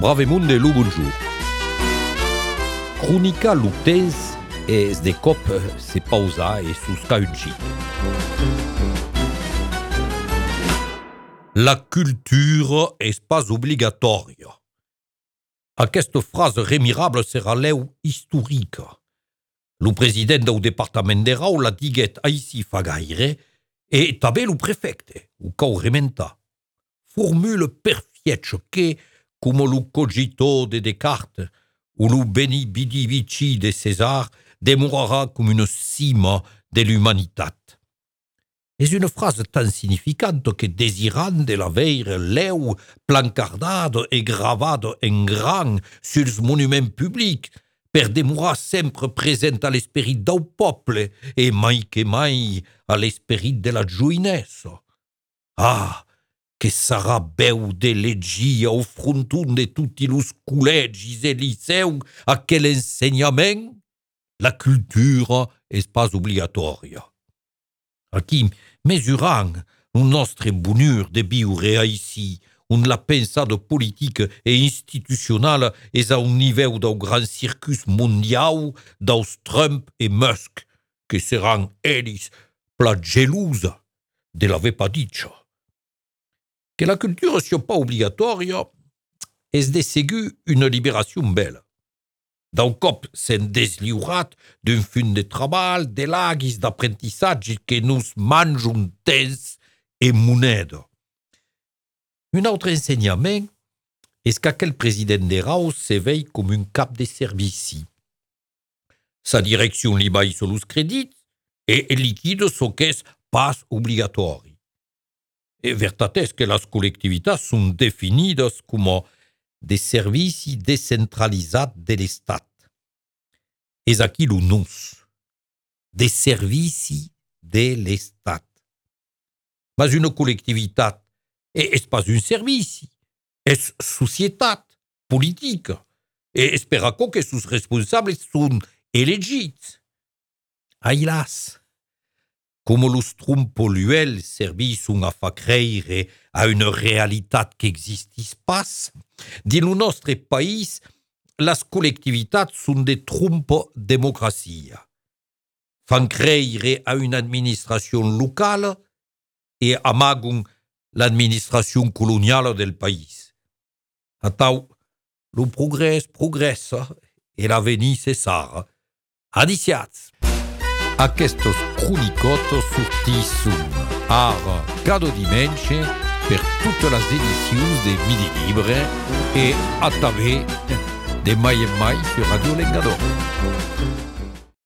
Bravemunde lo bonjour. Cronica lo temps es de cop se pausa e susca un xic. La culture és pas obligatòria. Aquesta frase remirable serà l'eu historica. Lo president del departament de Rau la diguet aici fa gaire e també lo prefecte, o cau rementa. Formule perfetge que, com lo cogito de Descartes ou lo beni vidi vici de César, demorarà com una cima de l'humanitat. És una frase tan significante que desirant de la veire l'eu plancardada e gravada en gran suls monuments publics per demorar sempre present a l'esperit del poble e mai que mai a l'esperit de la joinessa. Ah, que sarà beu de legir au fronton de tutti los col·legis e liceu aquel ensenyament? La cultura és pas obligatòria. Aquí, mesurant un nostre bonheur de viure aici, on la pensada politica e institucionala és a un nivell del gran circus mondial dels Trump e Musk, que seran ells pla gelosa de la vepaditxa. Que la cultura sia pas obligatòria és de segur una liberació bella. D'un cop s'en desliurat d'un fun de treball, de laguis d'aprentissatge que nos manjon temps e moneda. Un altre ensenyament és qu'aquel president de Rau se vei com un cap de servici. Sa direcció li baissa los credits e liquida so qu'és pas obligatori. E veritat és que les col·lectivitats són definides com de servici descentralitzat de l'Estat. És aquí lo nos, de servici de l'Estat. Mas una col·lectivitat és pas un servici, és societat politica, e espera que sus responsables són elegits. Ailas, com los trompoluels servisson a fa creire a una realitat que existis pas, dins lo nostre país, les col·lectivitats són de trompa democràcia. Fan creire a una administració locala e amagon l'administració coloniala del país. Atau, lo progrés progressa e l'avenir cessara. Adiciats! Aquestes cronicotes sortisson ara cada dimenche per totes les edicions de Midi Libre e a través de mai en mai sur Radio Lengador.